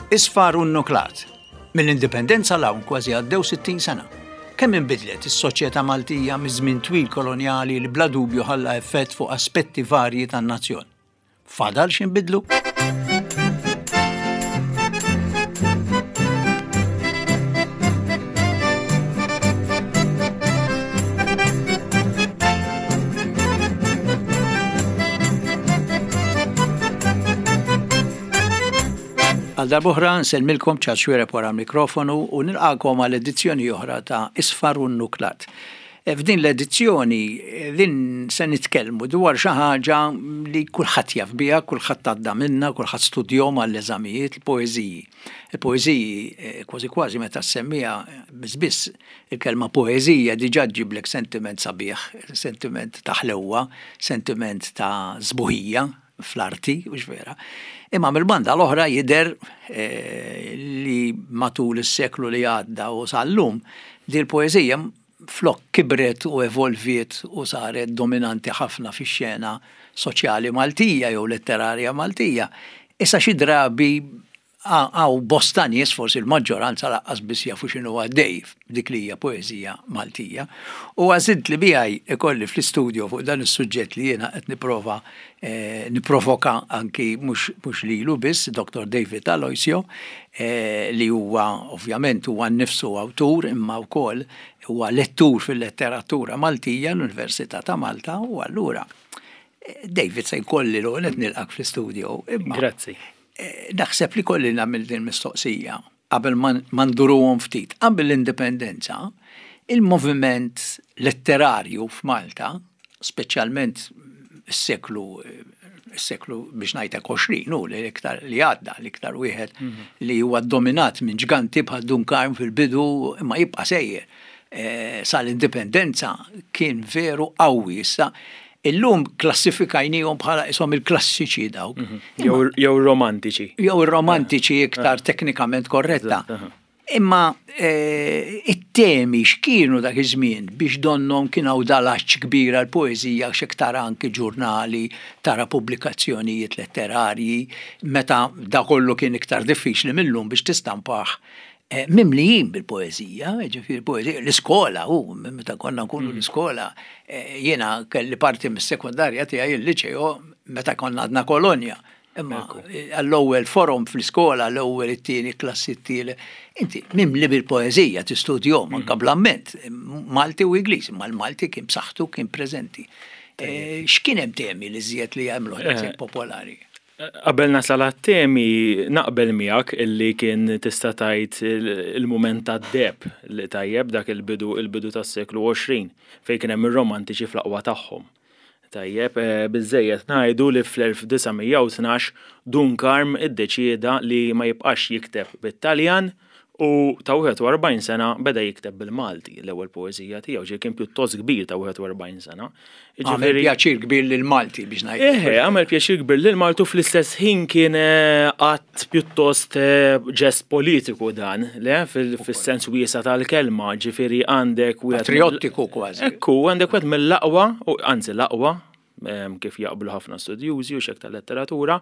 Isfar u nnuklat. Mill-Indipendenza 'l hawn kważi għaddew 60 sena. Kemm inbidlet is-soċjetà Maltija miż-żmien twil kolonjali li bla dubju ħalla effett fuq aspetti varji tan-nazzjon. Fadal x'inbidlu? Għal darb'oħra nsellmilkom Charles Xuereb wara l-mikrofonu u nilqagħkom għal edizzjoni oħra ta' Isfar u Nnuklat. E, f'din l-edizzjoni e, din se nitkellmu dwar xi ħaġa li kulħadd jaf biha, kulħadd għadda minnha, kulħadd studjom għall-eżamijiet, il-poeżiji. Il-poeżiji e, kważi kważi meta ssemmiha biss biss il-kelma poeżija diġà ġġiblek sentiment sabiħ, sentiment ta' ħlewwa, sentiment ta' sbuħija, fl-arti, hux vera. Imma mill-banda l-oħra jidher eh, li matul is-seklu li għadda u sal-lum di l-poeżija flok kibret u evolviet u saret dominanti ħafna fix-xena soċjali Maltija jew letterarja Maltija. Issa xi drabi Hawn bosta nies, forsi l-maġġoranza lanqas biss jafu x'inhu għaddej f'dik li hija poeżija Maltija. U għażilt li miegħi ikolli fl-istudio fuq dan is-suġġett li jiena qed nipprova nipprovoka anki mhux lilu biss, Dottor David Aloisio, li huwa ovvjament huwa nnifsu awtur imma wkoll huwa lettur fil-letteratura Maltija l-Università ta' Malta u allura David se jkolli l-ewwel qed nilqgħek fl-istudio. Grazzi. Naħseb li kolli nagħmel din mistoqsija qabel ma nduruhom ftit. Qabel l-indipendenza, il-moviment letterarju f'Malta, speċjalment is-seklu is-seklu biex ngħidlek 20 hu li iktar li għadda, l-iktar wieħed mhm. li huwa dominat minn ġganti bħal Dun Karm fil-bidu imma jibqa' sejjer. Eh, sal-indipendenza kien veru qawwi issa Illum klassifikajnihom bħala ishom il-klassiċi dawk. Mhm. Jew romantiċi. Jew romantiċi iktar teknikament korretta. Imma eh, it-temi x'kienu dak iż-żmien biex donnom kien hawn dal-għatx kbir għall-poeżija għax tara anki ġurnali, tara pubblikazzjonijiet letterarji, meta da kollu kien iktar diffiċli mil-lum biex tistampah Eh, mimlijin bil-poezija, ġifiri poezija, l-iskola, u meta konna nkunu mm. l-iskola, eh, jiena kelli parti mis-sekundarja tiegħi il-liċeo meta konna għadna kolonja. Imma eh, għall-ewwel forum fl-iskola, l-ewwel it-tieni klassi t-tieni, inti mimli bil-poezija tistudjom mm. anka bl-amment, Malti u Ingliż, imma l-Malti kien b'saħħtu kien preżenti. X'kien hemm temi li żjed li jagħmlu popolari? Qabel nasal għat-temi, naqbel miegħek illi kien tista' tgħid il-mument tad-deheb li tajjeb dak il-bidu il-bidu tas-seklu 20 fejn kien hemm ir-romantiċi fl-aqwa tagħhom. Tajjeb, biżżejjed ngħidu li fl-1912 Dun Karm iddeċieda li ma jibqax jikteb bit-Taljan U ta' 41 sena beda jikteb bil-Malti l-ewwel poeżija tiegħu, ġifieri kien pjuttost kbir ta' 41 sena. Għamel pjaċir kbir lil Malti biex ngħid. Eħe, għamel pjaċir kbir lil Malti u fl-istess ħin kien eh, att pjuttost eh, ġest politiku dan, le, fis-sens wiesa' tal-kelma, ġifieri għandek wieħed. Patriottiku kważi. Ekku, għandek wieħed mill-aqwa, anzi l-aqwa, kif jaqblu ħafna studjużi u xek tal-letteratura,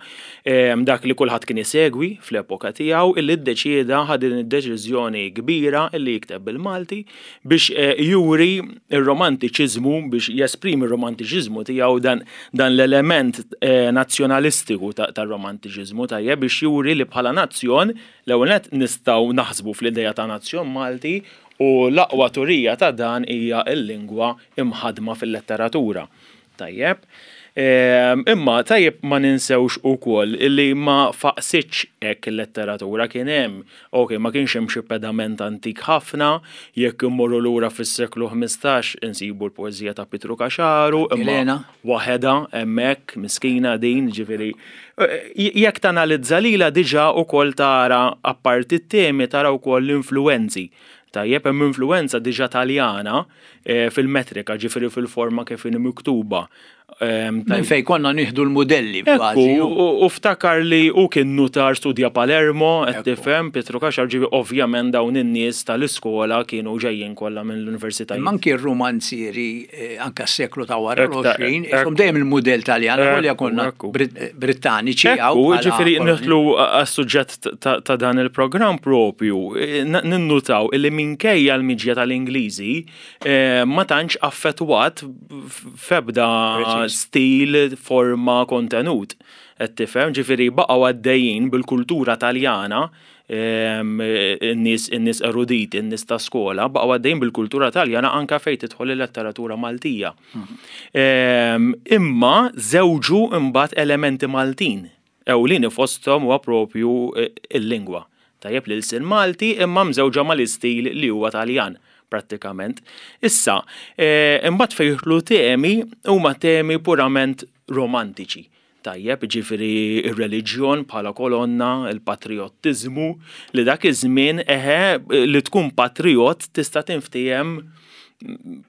dak li kulħadd kien isegwi fl-epoka tiegħu illi ddeċieda ħa din id-deċiżjoni kbira illi jikteb bil-Malti biex eh, juri ir-romantiċiżmu biex jesprimi r-romantiċiżmu tiegħu dan, dan l-element eh, nazzjonalistiku tar-romantiċiżmu tajjeb biex juri li bħala nazzjon l-ewwel nett nistgħu naħsbu fl-idea ta' nazzjon Malti u l-aqwa turija ta' dan hija l-lingwa imħaddma fil-letteratura. Tajjeb. Ehm, imma tajjeb ma ninsewx ukoll illi ma faqsitx hekk il-letteratura kien hemm. Ok, ma kienx hemm xi pedament antik ħafna, jekk immorru lura fis-seklu 15 insibu l-poeżija ta' Pietru Caxaru, imma waħedha hemmhekk miskina din, ġifieri eh, jekk tanalizza lilha diġà ukoll tara apparti t-temi tara wkoll l-influwenzi. Tajjeb, hemm influwenza diġà Taljana eh, fil-metrika, ġifieri fil-forma kif inhi miktuba. Minn fejn konna nieħdu l-mudelli kważi. U ftakar li hu kien nutar studja Palermo, qed tifhem, Pietru Caxar, ġifieri ovvjament dawn in-nies tal-iskola kienu ġejjin kollha mill-universitajiet. Imma anki r-rumanzieri anke s-seklu ta' wara l-20, ishom dejjem il-mudell Taljan, avolja konna Brittaniċi hawn. Ekku, ġifieri nidħlu għas-suġġett ta' dan il-programm propju, ninnutaw illi minkejja l-miġja tal-Ingliżi, ma tantx affettwat f'ebda stil, forma, kontenut. Qed tifhem, ġifieri baqgħu għaddejjin bil-kultura Taljana, in-nies in-nies eruditi, in-nies ta' skola, baqgħu għaddejjin bil-kultura Taljana anke fejn tidħol il-letteratura Maltija. Imma żewġu mbagħad elementi Maltin. Ewlieni fosthom huwa propju l-lingwa. Tajjeb l-ilsien Malti imma mżewġa mal-istil li huwa Taljan prattikament. Issa, imbagħad fejn jidħlu temi huma temi purament romantiċi. Tajjeb, jiġifieri r-reliġjon bħala kolonna, il-patrijottiżmu, li dak iż-żmien eħe li tkun patrijott tista' tinftiehem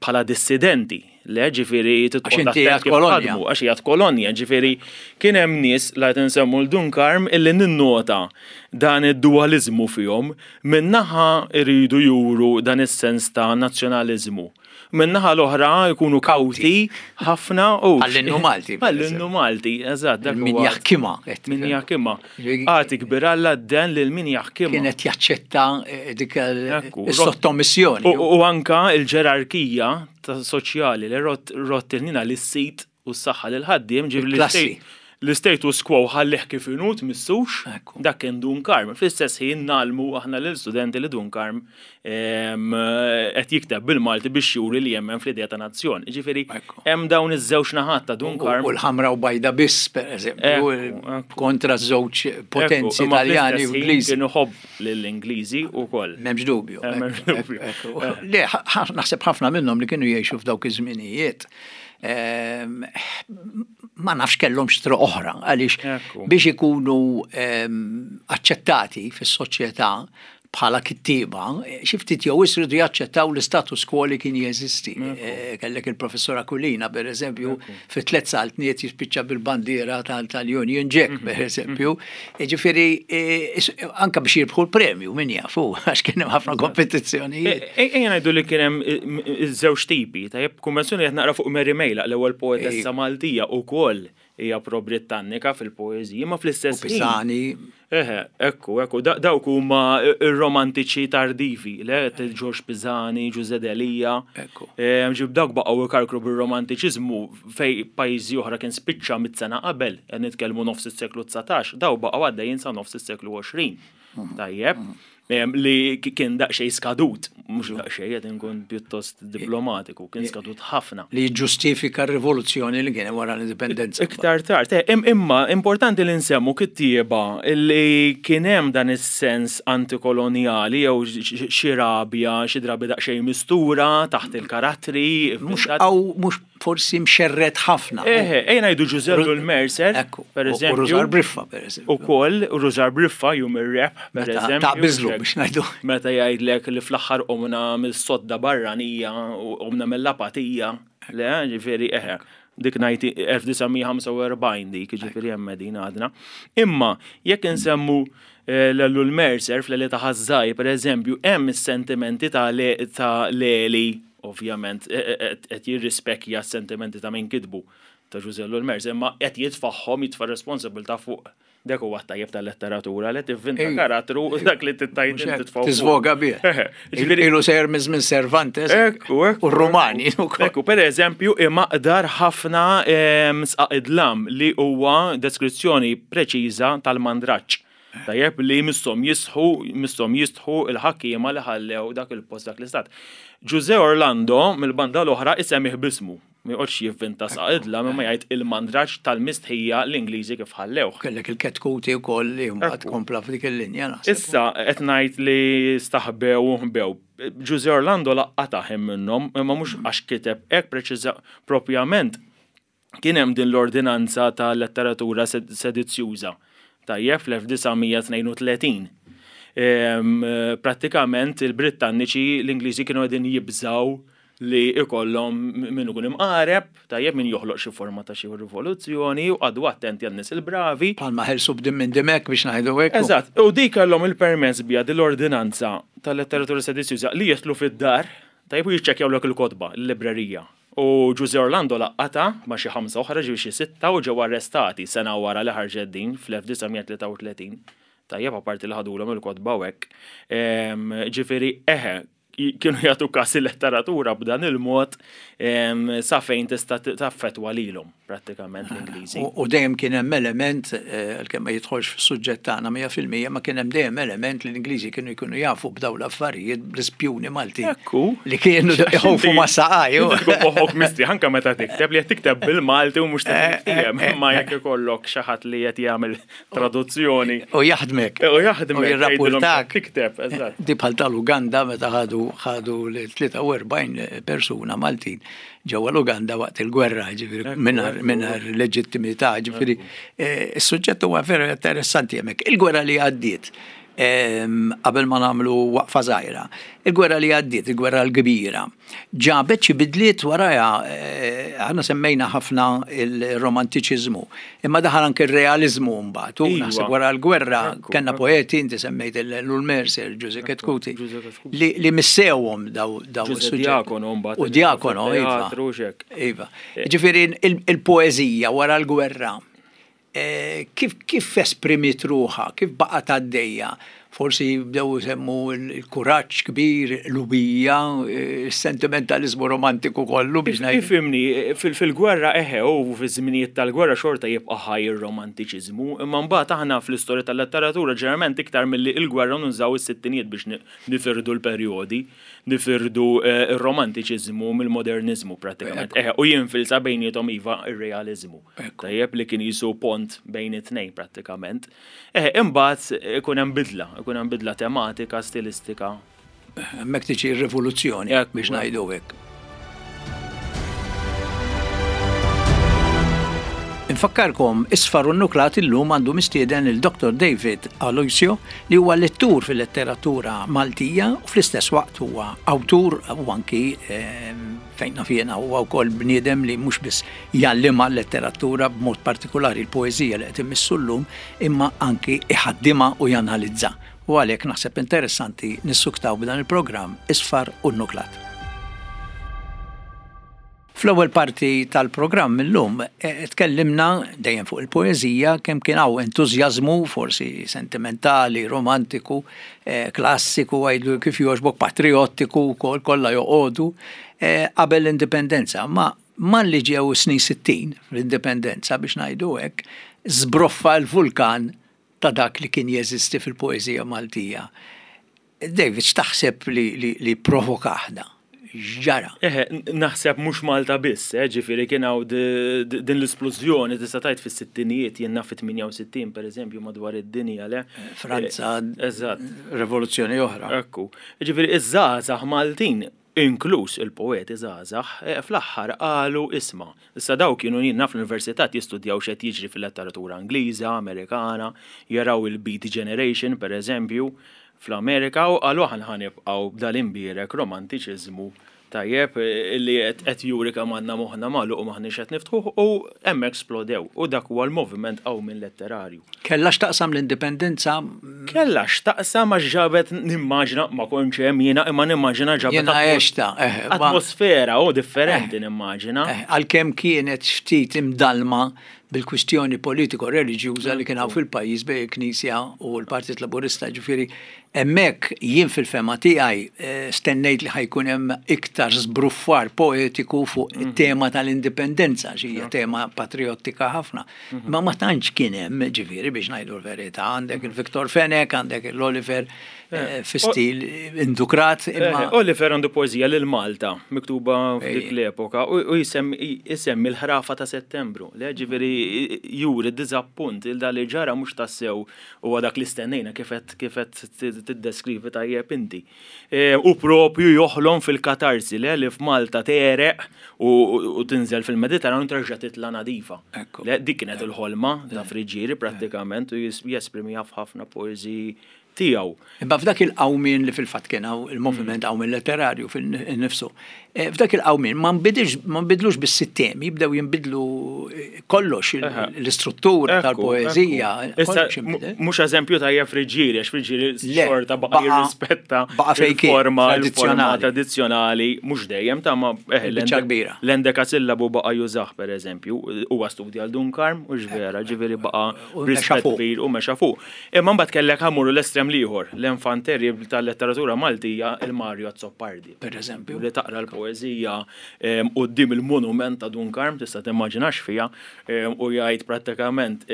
bħala dissidenti. Le, ġifieri għax inti qiegħed kolonja. Għax qiegħed kolonja, ġifieri kien hemm nies la qed insemmu l Dun Karm illi ninnota dan id-dualiżmu fihom, minn naħa jridu juru dan is-sens ta' nazzjonaliżmu. Min-naħa l-oħra jkunu kawti ħafna u. Għall-innu Malti. Għall-innu Malti, eżatt. Min jaħkimha. Min jaħkimha. Agħti kbir Alla d-den lil min jaħkimha. Kien qed jaċċetta dik is-sottomissjoni. U anka l-ġerarkija ta' soċjali li rott rott il-ħnina lis-sid u s-saħħa lill-ħaddiem, ġifieri l-istatus quo ħallih kif inhu tmissux, dak kien Dun Karm. Fl-istess ħin ngħallmu aħna lill-studenti li Dun Karm qed jikteb bil-Malti biex juri li jemmen fl-idea ta' nazzjon. Ġifieri hemm dawn iż-żewġ naħat ta' Dun Karm. U l-ħamra u bajda biss, pereżempju, kontra żewġ potenzi Taljani u Ingliżi. Kien iħobb lill-Ingliżi wkoll. M'hemmx dubju. M'hemmx dubju. Le, naħseb ħafna minnhom li kienu jgħixu f'dawk iż-żminijiet ma nafx kellhomx triq oħra għaliex biex ikunu aċċettati fis-soċjetà bħala kittieba, xi ftit jew wisq riedu jaċċettaw l-istatus quo li kien jeżisti. Kellek il-Professur Aquilina, per eżempju, fi tlet saltniet jispiċċa bil-bandiera tal-Union Jack, per eżempju. Ġifieri, anke biex jirbħu l-premju, min jaf hu, għax kien hemm ħafna kompetizzjonijiet. Ejja ngħidu li kien hemm żewġ tipi, tajjeb, konvenzjoni qed naqra fuq Mary Mejlaq, l-ewwel poetessa Maltija wkoll hija pro-Brittannika fil-poeżiji, ma fl-istess ħin. Pisani. Eħe, ekku, ekku, dawk huma ir-romantiċi tardivi, le, Ġorġ Pisani, Ġużè Delia. Ekku. Ġib dawk baqgħu ikarkru bir-romantiċiżmu fej pajjiżi oħra kien spiċċa mit-sena qabel, qed nitkellmu nofs is-seklu 19, daw baqgħu għaddejjin sa nofs is-seklu 20. Tajjeb. Li kien daqsxejn skadut, mhux daqsxejn qed inkun pjuttost diplomatiku, kien skadut ħafna. Li jiġġustifika r-rivoluzzjoni li kien hemm wara l-indipendenza. Iktar tard, imma importanti li nsemmu kittieba li kien hemm dan is-sens antikolonjali jew xi rabja, xi drabi daqsxejn mistura taħt il-karattri. Mhux mhux forsi mxerred ħafna. Eħe, ejja ngħidu Ġużè Ellul Mercer, per eżempju. U Rużar Briffa, per eżempju. Ukoll, u Rużar Briffa jum ir-rebħ, per eżempju. Ta' biżlu biex ngħidu. Meta jgħidlek li fl-aħħar qomna mis-sodda barranija u qomna mill-apatija, le, ġifieri eħe. Dik ngħid 1945 dik, ġifieri hemm qegħdin għadna. Imma jekk insemmu eh, l-Ellul Mercer fl-Eli ta' Ħażżaj, per eżempju, hemm is-sentimenti ta' Leli Ovvjament, qed jirrispekkja s-sentimenti ta' min kitbu, ta' Ġużè Ellul Mercer, imma qed jitfagħhom, jitfa' r-responsabbiltà fuq dak huwa t-tajjeb tal-letteratura li tivvinta karattru u dak li tittajt titfgħu. Tiżvoga bih. Ilu sejjer minn żmien Cervantes. Ekku, ekku. U r-Rumani ukoll. Ekku, per eżempju, imaqdar ħafna sqaq id-dlam li huwa deskrizzjoni preċiża tal-mandraġġ. Tajjeb li misshom jisħu, misshom jistħu il-ħakkiema li ħallew dak il-post dak l-istat. Ġużè Orlando mill-banda l-oħra isemmih b'ismu. Ma joqgħodx jivvinta saqidla imma jgħid il-mandraġġ tal-mistħija l-Ingliżi kif ħallewh. Kellek il-Ketkuti wkoll li mbagħad kompla f'dik il-linja naħseb. Issa qed ngħid li staħbew u ħbew. Ġużè Orlando laqqatha ħin minnhom imma mhux għax kiteb hekk preċiża propjament Kien hemm din l-ordinanza ta' letteratura sedizzjuża, tajjeb, fl-1932. Prattikament il-Brittanniċi, l-Ingliżi kienu qegħdin jibżgħu li ikollhom min ikun imqareb, tajjeb min joħloq xi forma ta' xi rivoluzzjoni u qagħdu attenti għan-nies il-bravi. Bħalma ħelsu b'dim minn dimek biex ngħidu hekk. Eżatt, u dik kellhom il-permess biha din l-ordinanza tal-letteratura sedizjuża li jidħlu fid-dar, tajjeb u jiċċekkjawlek il-kotba, il-librerija. U Ġużè Orlando laqqatha ma' xi ħamsa oħra, ġifieri xi sitta, u ġew arrestati sena wara li ħarġet din fl-1933. Tajjeb, apparti li ħadulhom il-kotba u hekk. Ġifieri, eħe, kienu jagħtu kas il-letteratura b'dan il-mod sa fejn tista' taffettwa lilhom prattikament l-Ingliżi. U dejjem kien hemm element, għalkemm ma jidħolx fis-suġġett tagħna 100%, ma kien hemm dejjem element li l-Ingliżi kienu jkunu jafu b'dawn l-affarijiet bl-ispjuni Maltin. Ekku. Li kienu jħowfu ma' saqaj. Tkun moħħok mistrieħ anke meta tikteb li qed tikteb bil-Malti u mhux tikteb. Imma jekk ikollok xi ħadd li qed jagħmel traduzzjoni. U jaħdmek. U jaħdmek. U jirrapportak. Tikteb, eżatt. Di bħal tal-Uganda meta ħadu ħadu l-43 persuna Maltin ġewwa l-Uganda waqt il-gwerra, ġifieri mingħajr leġittimità, ġifieri eh, is-suġġett huwa veru interessanti hemmhekk. Il-gwerra li għaddiet qabel ma nagħmlu waqfa żgħira. Il-gwerra li għaddiet, il-gwerra l-kbira, ġabet xi bidliet warajha, aħna semmejna ħafna il-romantiċiżmu, imma daħal anke r-realiżmu mbagħad. U iva. naħseb wara l-gwerra kellna poeti, inti semmejt l Mercer, Ġużè Ketkuti, li missewhom daw daw is-suġġetti. Diakono mbagħad. U Diakono, iva. Iva. Ġifieri il-poeżija wara l-gwerra Kif kif esprimiet ruħha, kif baqgħet għaddejja? Forsi bdew isemmu l-kuraġġ kbir, l-qlubija, is-sentimentaliżmu romantiku kollu biex ngħid. Ifhimni, fil-gwerra eħe u fiż-żminijiet tal-gwerra xorta jibqa' ħaj ir-romantiċiżmu, imma mbagħad aħna fl-istorja tal-letteratura ġeneralment iktar milli l-gwerra nużaw is-sittinijiet biex nifirdu l-perjodi. Nifirdu r-romantiċiżmu mill-moderniżmu prattikament. Eħe, u jinfilsa bejniethom iva r-realiżmu. Tajjeb li kien qisu pont bejn it-tnejn prattikament. Eħe, imbagħad ikun hemm bidla, ikun hemm bidla tematika, stilistika. Hemmhekk tiġi r-rivoluzzjoni biex ngħidu hekk. Infakkarkom, Isfar u Nnuklat illum għandu mistieden lil Dr. David Aloisio li huwa lettur fil-letteratura Maltija u fl-istess waqt huwa awtur u anki ehm, fejn naf jiena huwa wkoll bniedem li mhux biss jgħallimha l-letteratura b'mod partikolari l-poeżija li qed immissu llum imma anki iħaddimha u janalizza. U għalhekk naħseb interessanti nissuktaw b'dan il-programm Isfar u Nnuklat. Fl-ewwel parti tal-programm illum tkellimna dejjem fuq il-poeżija kemm kien hawn entużjażmu forsi sentimentali, romantiku, klassiku għidlu kif jogħġbok, patrijottiku wkoll kollha joqogħdu qabel l-Indipendenza. Ma malli ġew is-snin 60 fl-Indipendenza biex ngħidu hekk, żbroffa l-vulkan ta' dak li kien jeżisti fil-poeżija Maltija. David, x'taħseb li pprovokah da? X'ġara? Eħe, naħseb mhux Malta biss, eh, ġifieri kien hawn din l-isplużjoni tista' tgħid fis-sittinijiet, jien naf fit-68 pereżempju madwar id-dinja, le? Franza, Eżatt. Rivoluzzjoni oħra. Ekku. Ġifieri iż-żgħażagħ Maltin, inkluż il-poeti żgħażagħ, fl-aħħar qalu isma', issa dawn kienu jien naf l-università jistudjaw x'qed jiġri fil-letteratura Ingliża, Amerikana, jaraw il-Beat Generation pereżempju, fl-Amerika u qalu aħna ħa nibqgħu b'dal-imbierek romantiċiżmu tajjeb li qed juri kemm għandna moħħna magħluq u m'aħniex qed niftħuh u hemmhekk splodew u dak huwa l-moviment qawmien letterarju. Kellha x'taqsam l-Indipendenza? Kellha x'taqsam għax ġabet nimmaġina, ma kontx hemm jiena imma nimmaġina ġabet. Jiena għextha, eħe. Atmosfera u differenti nimmaġina. Għalkemm kienet ftit imdallma bil-kwistjoni politiko-reliġjuża li kien hawn fil-pajjiż bejn il-Knisja u l-Partit Laburista, ġifieri hemmhekk jien fil-fehma tiegħi eh, stennejt li ħajkun hemm iktar żbruffar poetiku fuq mhm. it-tema tal-indipendenza, xi hija tema patriottika ħafna. Mhm. Ma ma tantx kien hemm, ġifieri biex ngħidu l-verità, għandek mhm. il-Viktor Fenech, għandek il-Oliver eh, fi stil indukrat. Eh, imma Oliver għandu poeżija lil Malta miktuba f'dik l-epoka u jisemmi l-ħrafa ta' Settembru. Le ġifieri juri diżappunt il li ġara mhux tassew huwa dak li stennejna kif qed tiddeskrivi tajjeb inti. Eh, u propju joħlom fil-katarsi le li f'Malta tereq u tinżel fil-Mediterran u terġa' titla' nadifa. Dik kienet il-ħolma ta' Friġġieri prattikament u jesprimiha f'ħafna poeżiji. tiegħu. Imma f'dak il-qawmien li fil-fatt kien hawn il-moviment qawmien letterarju fil-nifsu, eh, f'dak il-qawmien ma nbidilx ma nbidlux biss it-temi, jibdew jinbidlu eh, kollox l-istruttura tal-poeżija. Issa mhux eżempju tajjeb Friġġieri, għax Friġġieri xorta baqa' jirrispetta forma tradizzjonali mhux dejjem ta' ma eh, kbira. L-endekasillabu baqa' jużah pereżempju, huwa studja l Dun Karm u vera, ġifieri baqa' rispett kbir u mexa fuq. Imma mbagħad kellek ħa mmorru l-estrem l-ieħor, l-enfant terrible tal-letteratura Maltija, il-Mario Azzopardi. Per eżempju. Li taqra l-poeżija quddiem il-monument ta' Dun Karm, tista' timmaġina x'fiha, u jgħid prattikament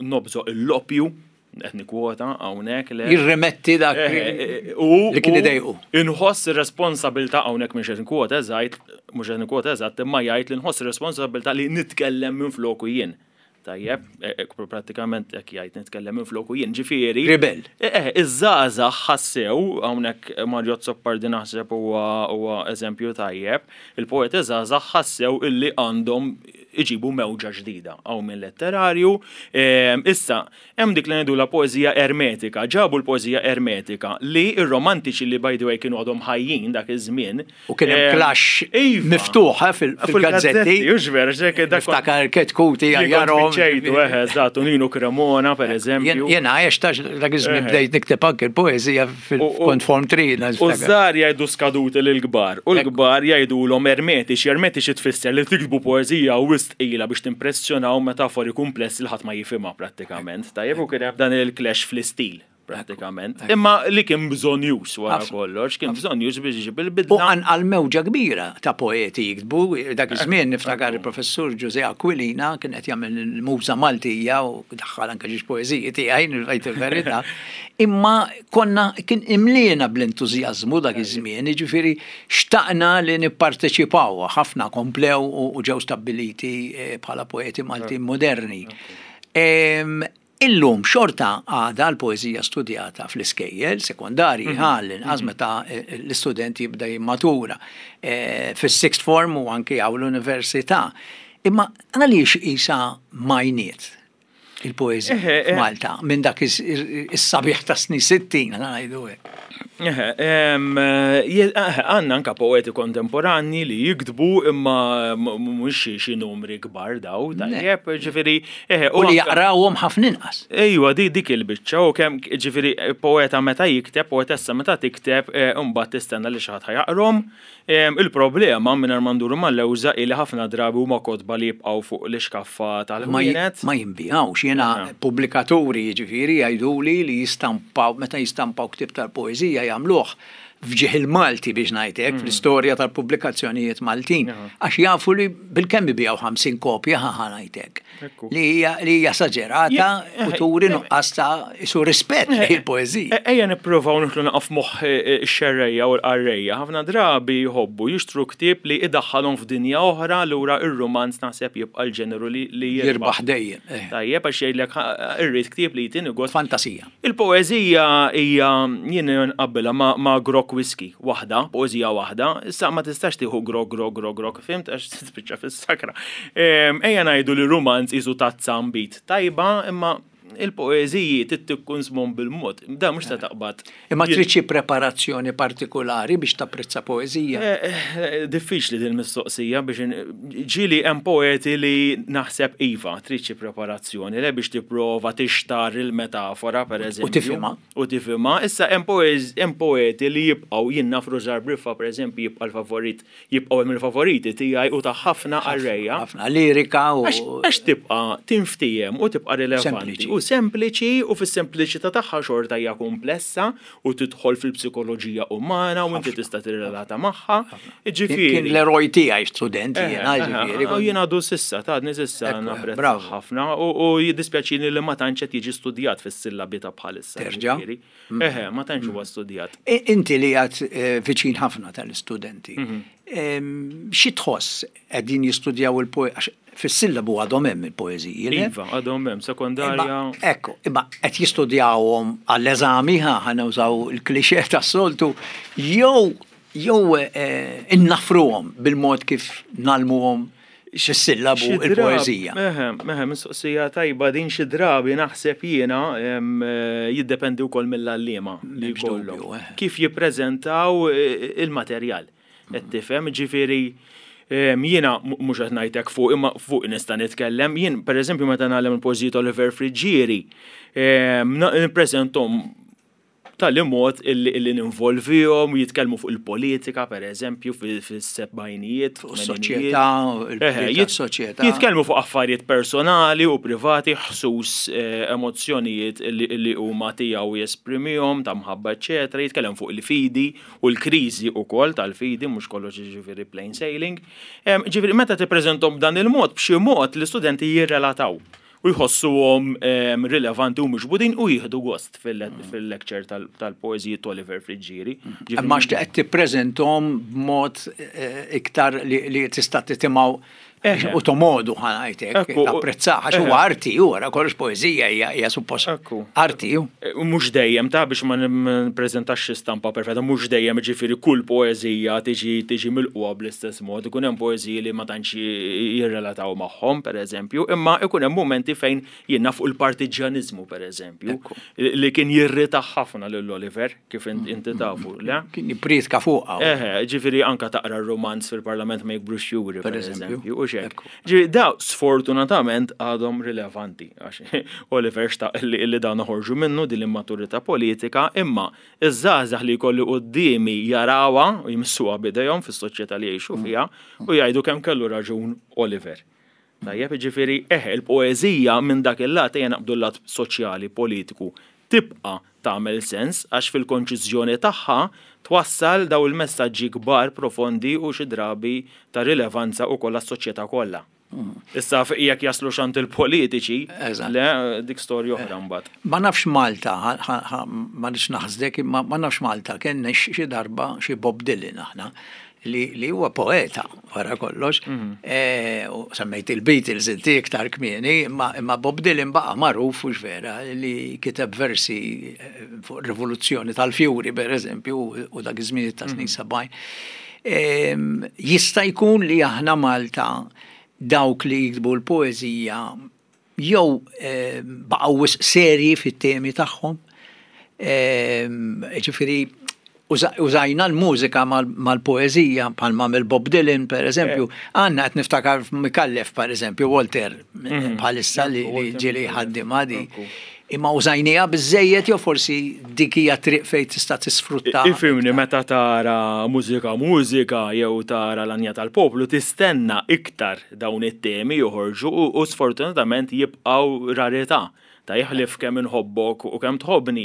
nobżoq il-loppju, qed nikkwota hawnhekk le. Jirrimetti dak li kien idejqu. Inħoss ir-responsabilità hawnhekk mhux qed nikkwota eżatt, mhux qed nikkwota eżatt, imma jgħid li nħoss ir-responsabilità li nitkellem minfloku jien. Tajjeb, e, e, prattikament hekk jgħid nitkellem minn floku jien ġifieri. Ribel. Eh, iż-żgħażagħ ħassew hawnhekk Mario Azzopardi naħseb huwa eżempju tajjeb, il-poeti żgħażagħ ħassew illi għandhom iġibu mewġa ġdida hawn minn letterarju. Ehm, issa, hemm dik li ngħidulha poeżija ermetika, ġabu l-poeżija ermetika li r-romantiċi li by the way kienu għadhom ħajjin dak iż-żmien, U kien hemm clash iva. miftuħ eh, fil-gazzetti. Hux vera, xek dak. Niftakar Ketkuti għajarhom. Ċejtu, eh, eżatt, u Nino Cremona, per eżempju. Jena għex tax dak iż-żmien bdejt nikteb anke l-poeżija fil-kont form 3. U żgħar jgħidu skaduti lill-kbar, u l-kbar jgħidulhom ermetiċi, ermetiċi tfisser li tiktbu poeżija wisq tqila biex timpressjonaw metafori kumplessi li ħadd ma jifhimha prattikament. Tajjeb u kien hemm dan il-clash fl-istil. Pratikament. Imma li kien bżonjus wara kollox, kien bżonjus biex iġib il-bidla. U qanqal mewġa kbira ta' poeti jiktbu, dak iż-żmien niftakar il-professur Ġużè Aquilina kien qed jagħmel il-Muża Maltija u daħħal anke xi poeżiji tiegħi, ngħid il-verità. Imma konna kien imliena bl-entużjażmu dak iż-żmien, jiġifieri xtaqna li nipparteċipaw, ħafna komplew u ġew stabbiliti eh, bħala poeti Maltin moderni. Illum xorta għadha l-poeżija studjata fl-iskejjel sekondarji, mhm. għall-inqas mhm. meta eh, l-istudent jibda jimmatura eh, fis-sixth form u anki għaw l-università. Imma għaliex isa majniet il-poeżija eh, f'Malta minn dak is-sabiħ ta' snin 60 ngħidu hekk. Għandna anka poeti kontemporanji li jiktbu imma mhux xi numri kbar daw, tajjeb, ġifieri. U li jaqrawhom ħafna inqas. Ejwa, dik il-biċċa u kemm ġifieri poeta meta jikteb, poetessa meta tikteb, imbagħad tistenna li xi ħadd ħa jaqrahom. Il-problema, mingħajr ma nduru mal-lewża, hi li ħafna drabi huma kotba li jibqgħu fuq l-ixkaffa tal-ħwienet. Ma jinbigħux. Jiena pubblikaturi, jiġifieri, jgħiduli li jistampaw, meta jistampaw ktieb tal-poeżija jagħmluh f'ġieħ il-Malti biex ngħid hekk, fl-istorja tal-pubblikazzjonijiet Maltin, għax jafu li bilkemm ibigħu 50 kopja ħa ngħid hekk. Li hija li hija esaġerata u turi nuqqas ta' isu rispett lejn il-poeżija. Ejja nippruvaw nidħlu naqgħu f'moħħ ix-xerrejja u l-qarrejja. Ħafna drabi jħobbu jixtru ktieb li idaħħalhom f'dinja oħra, allura r-rumanz naħseb jibqa' l-ġeneru li jirbaħ. Jirbaħ dejjem. Tajjeb għax jgħidlek irrid ktieb li jtini gost. Fantasija. Il-poeżija hija jien nqabbilha ma' grokk whisky waħda, poeżija waħda, issa ma tistax tieħu grokk, grokk, grokk, grokk, fhimt għax tispiċċa fis-sakra. Ejja ngħidu li rumanz qisu tazza nbid tajba imma il-poeżiji trid tikkunsmhom bil-mod, dan mhux se taqbad. Imma trid xi preparazzjoni partikulari biex tapprezza poeżija? Diffiċli din il-mistoqsija biex ġieli hemm poeti li naħseb iva, trid xi preparazzjoni le biex tipprova tixtarr il-metafora pereżempju. U tifhimha. U tifhimha. Issa hemm poeti li jibqgħu, jien naf Rużar Briffa pereżempju jibqa' l-favorit jibqgħu hemm il-favoriti tiegħi u ta' ħafna qarrejja. Ħafna lirika u. Għax tibqa' tinftiehem u tibqa' rilevanti. U sempliċi u fis-sempliċità tagħha xorta hija kumplessa u tidħol fil-psikoloġija umana u inti tista' tirrelata magħha. Jiġifieri. Kien l-eroj tiegħi student jiena, jiġifieri. U jien għadu s'issa, ta' għadni s'issa napprezza ħafna u jiddispjaċini li ma tantx qed jiġi studjat fis-sillabi ta' bħalissa. Terġa'? Eħe, ma tantx huwa studjat. Inti li għad eh, viċin ħafna tal-istudenti, mhm. xi tħoss qegħdin jistudjaw il-poeżija? Fis-sillabu għadhom hemm il-poeżiji. Iva, għadhom hemm sekondarja. Ekku, imma qed jistudjawhom għall-eżami, ħa nużaw il-klixè tas-soltu, jew jew eh, innafruhom bil-mod kif nalmuhom. xi sillabu il-poeżija. Eħe, eħe, mistoqsija tajba din xi drabi naħseb jiena jiddependi wkoll mill-għalliema li jkollhom. Kif jippreżentaw il-materjal. Qed tifhem, ġifieri jiena mhux qed ngħidlek fuq imma fuq nista' nitkellem. Jien pereżempju meta nagħlem il-poeżiji ta' Oliver Friggieri, nippreżenthom b'tali mod illi ninvolvihom, jitkellmu fuq il-politika, per eżempju, fis-sebgħinijiet. Fuq is-soċjetà, il-soċjetà. Jitkellmu fuq affarijiet personali u privati, ħsus emozzjonijiet li huma tiegħu jesprimihom, ta' mħabba, eċċetera. Jitkellem fuq il-fidi u l-kriżi wkoll tal-fidi, mhux kollox jiġifieri plain sailing. Ġifieri meta tippreżenthom b'dan il-mod, b'xi mod l-istudenti jirrelataw u jħossuhom rilevanti u miġbudin u jieħdu gost fil-lecture tal-poeżiji t'Oliver Friggieri. Imma għax qed tippreżenthom b'mod iktar li tista' titimgħu u tomodu ħa ngħid hekk, tapprezzah għax huwa arti hu wara kollox poeżija hija suppost arti hu. Mhux dejjem ta' biex ma nippreżentax xi stampa perfetta, mhux dejjem jiġifieri kull poeżija tiġi tiġi milqugħa bl-istess mod, ikun hemm poeżiji li ma tantx jirrelataw magħhom pereżempju, imma ikun hemm mumenti fejn jien naf fuq il-partiġġjaniżmu pereżempju, li kien jirritah ħafna lil Oliver. Kif inti tafu, le? Kien jipprietka fuqha. Eħe, ġifieri anka taqra r-rumanz fil-Parlament ma jikbrux juri, per eżempju, u xek. Ġifieri daw sfortunatament għadhom rilevanti, għax Oliver xtaq li dan noħorġu minnu din l-immaturità politika, imma iż-żgħażagħ li jkolli quddiemi jarawha u jmissuha b'idejhom fis-soċjetà li jgħixu fiha u jgħidu kemm kellu raġun Oliver. Tajjeb, jiġifieri, eħe, il-poeżija minn dak il-lat, ejja naqbdu l-lat soċjali, politiku, tibqa' tagħmel sens għax fil-konċiżjoni tagħha twassal dawn il-messaġġi kbar, profondi u xi drabi ta' rilevanza ukoll għas-soċjetà kollha. Issa jekk jaslux għand il-politiċi, le, dik storja oħra mbagħad. Ma nafx Malta, ma rridx naħsdek, imma ma nafx Malta kellniex xi darba xi Bob Dylan aħna li huwa poeta wara kollox. Mhm. E, u semmejt il-Beatles inti iktar kmieni, imma Bob Dylan baqa' magħruf u vera li kiteb versi eh, fuq rivoluzzjoni tal-fjuri per eżempju u dak iż-żmien ta' snin 70. Mhm. Jista' jkun li aħna Malta dawk li jiktbu l-poeżija jew baqgħu wisq serji fit-temi tagħhom. Ġifieri użajna l-mużika mal-poeżija bħalma għamel Bob Dylan per eżempju. Għandna qed niftakar f'Micallef per eżempju, Walter mhm. bħalissa li ġieli ħaddimha di. Imma użajniha biżejjed jew forsi dik hija triq fejn tista' tisfrutta. Ifhimni meta tara mużika mużika jew tara l-Anja tal-Poplu tistenna iktar dawn it-temi joħorġu u sfortunatament jibqgħu rarità. Ta' ħlief kemm inħobbok u kemm tħobbni.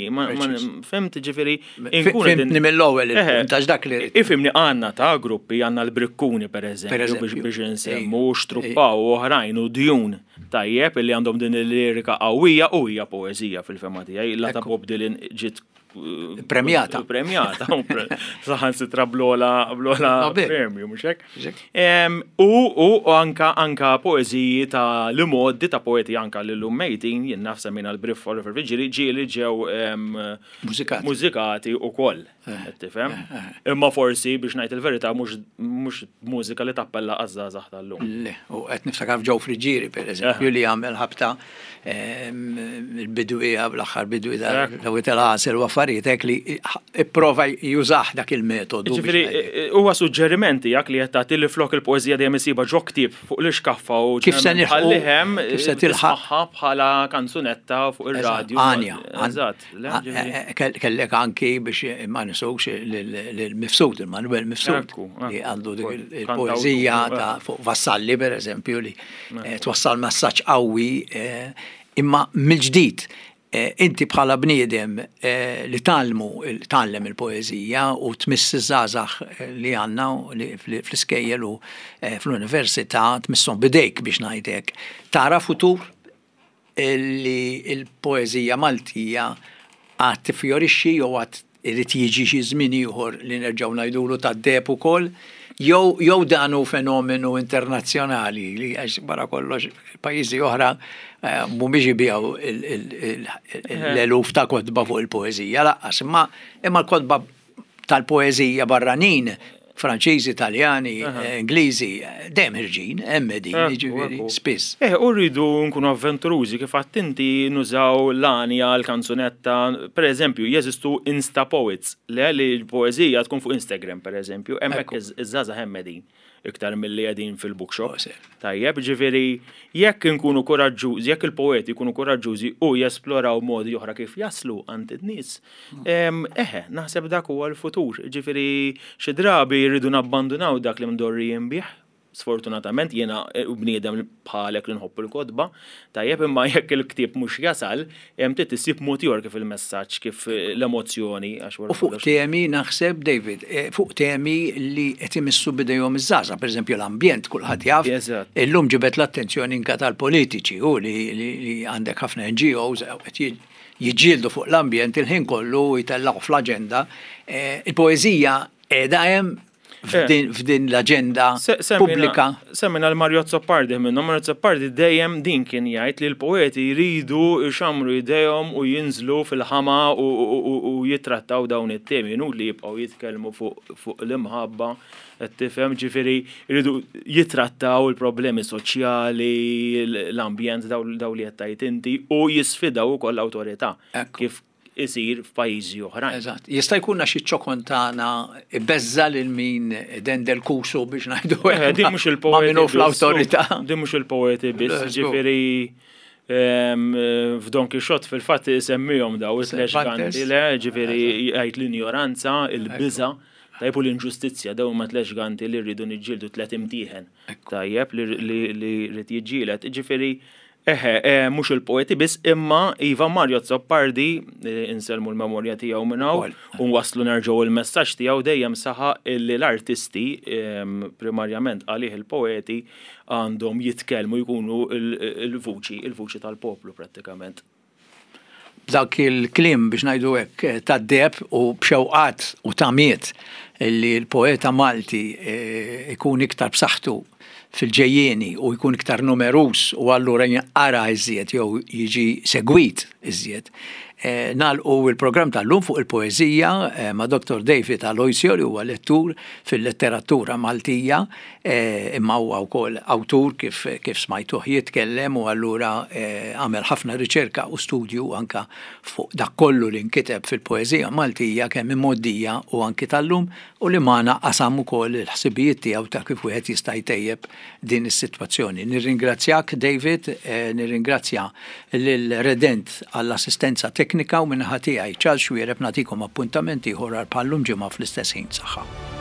Fhimt ġifieri. Fhimtni mill-ewwel il-punt għax dak li. Ifhimni għandna ta' gruppi għandna l-Brikkuni pereżempju biex insemmu Xtruppaw u oħrajn u Djun. Tajjeb illi għandhom din il-lirika qawwija u hija poeżija fil-fehma tiegħi. La ta' Bob Dylan ġiet eh, premjata. Premjata. Saħansitra blola blola premju, mhux hekk? U u anka anka poeżiji ta' li modi ta' poeti anka li llum mejtin jien naf semmejna l-Briff Oliver Vigili ġieli ġew mużikati mużikati ukoll. Eh, tifhem? Eh, eh. Imma forsi biex ngħid il-verità mhux mużika li tappella għaż-żgħażagħ tal-lum. Le, u qed niftakar f'Joe Friggieri pereżempju li għamel ħabta ehm, il-bidwi l-aħħar bidwi ta' il-għasel u affarijiet hekk li ipprova jużah dak il-metodu. Ġifieri huwa suġġeriment tiegħek li qed tagħti li flok il-poeżija dejjem isibha ġo ktieb fuq l-ixkaffa u kif se nħallihem kif se tilħaqha bħala kanzunetta fuq ir-radju. Għanja. Eżatt. Eh, eh, kellek anki biex ma nisux l-Mifsud, il-Manuel Mifsud, li għandu il-poezija ta' fuq Vassalli, per eżempju, li eh, twassal messaġġ qawwi, imma mill-ġdid, inti bħala bniedem li talmu, tgħallem il-poezija u tmiss iż-żgħażagħ li għandna fl-iskejjel u fl-università tmisshom bidejk biex ngħidlek. Tara futur li l-poeżija Maltija għad tiffjorixxi jew għad irid jiġi xi żmien ieħor li nerġgħu ngħidulu tad-deheb ukoll, jew jew dan hu fenomenu internazzjonali li għax wara kollox pajjiżi oħra eh, mhumiex ibigħu l-eluf ta' kotba fuq il-poeżija lanqas, imma imma l-kotba tal-poeżija barranin. Franċiżi, Taljani, Ingliżi, dejjem ħirġin, hemm qegħdin, jiġifieri spiss. Eh, u rridu nkunu avventurużi kif għedt inti nużaw l-għanja, l-kanzunetta, per eżempju, jeżistu Insta Poets, le li l-poeżija tkun fuq Instagram, per eżempju, hemmhekk iż-żgħażagħ hemm qegħdin iktar milli qegħdin fil-bookshop. Tajjeb, ġifieri jekk inkunu kuraġġużi, jekk il-poeti jkunu kuraġġużi u jesploraw modi oħra kif jaslu għand in-nies, eħe, naħseb dak huwa l-futur. Ġifieri xi drabi rridu nabbandunaw dak li mdorrijin bih, sfortunatament jiena bniedem bħalek li nħobb il-kotba, tajjeb imma jekk il-ktieb mhux jasal, trid issib mod ieħor kif il-messaġġ, kif l-emozzjoni għax wara U fuq temi naħseb, David, fuq temi li qed imissu b'idejhom iż-żgħażagħ, pereżempju l-ambjent kulħadd jaf. Illum ġibed l-attenzjoni anke tal-politiċi hu li għandek ħafna NGOs qed jiġġieldu fuq l-ambjent il-ħin kollu u jtellgħuh fl-aġenda. Il-poeżija qiegħda hemm f'din l-aġenda pubblika. Semmejna l-Mario Azzopardi minnhom. Mario Azzopardi dejjem din kien jgħid li l-poeti jridu jxammru jdejhom u jinżlu fil-ħama u jittrattaw dawn it-temi. Inutli jibqgħu jitkellmu fuq l-imħabba, qed tifhem, ġifieri jridu jittrattaw il-problemi soċjali, l-ambjent, dawn li qed tgħid inti u jisfidaw ukoll l-awtorità kif isir f'pajjiżi oħrajn. Eżatt. Jista' jkun għax iċ-ċokon tagħna ibeżża' lil min idendel kusu biex ngħidu hekk. Eh, din mhux il-poeti. Ma' min hu fl-awtorità. Din mhux il-poeti biss, ġifieri ehm, f'Don Quixote fil-fatt isemmihom daw it-tlex ganti le, ġifieri jgħid l-injoranza, il-biża', tajjeb u l-inġustizzja, dawn huma tlex ganti li rridu niġġieldu tliet imtieħen. Tajjeb li rrid jiġġieled. Ġifieri Eħe, mhux il-poeti biss, imma iva Mario Azzopardi, insellmu l-memorja tiegħu minn hawn, u nwasslu nerġgħu il-messaġġ tiegħu dejjem saħaq illi l-artisti, primarjament għalih il-poeti, għandhom jitkellmu jkunu l-vuċi, il-vuċi tal-poplu prattikament. B'dak il-kliem biex ngħidu hekk tad-deheb u b'xewqat u tamiet li l-poeta Malti jkun iktar b'saħħtu fil-ġejjieni u jkun iktar numeruż u allura jinqara iżjed jew jiġi segwit iżjed. Nagħlqu l-programm tal-lum fuq il-poeżija ma' Dottor David Aloisio li huwa lettur fil-letteratura Maltija imma huwa wkoll awtur kif kif smajtuh jitkellem u allura għamel ħafna riċerka u studju anke fuq dak kollu li nkiteb fil-poeżija Maltija kemm imgħoddija u anki tal-lum u li magħna qasam ukoll il-ħsibijiet tiegħu ta' kif wieħed jista' jtejjeb din is-sitwazzjoni. Nirringrazzjak David, nirringrazzja lil Redent għall-assistenza teknika u min-naħa tiegħi Charles Xuereb nagħtikom appuntament ieħor għal bħal-lum ġimgħa fl-istess ħin. Saħħa.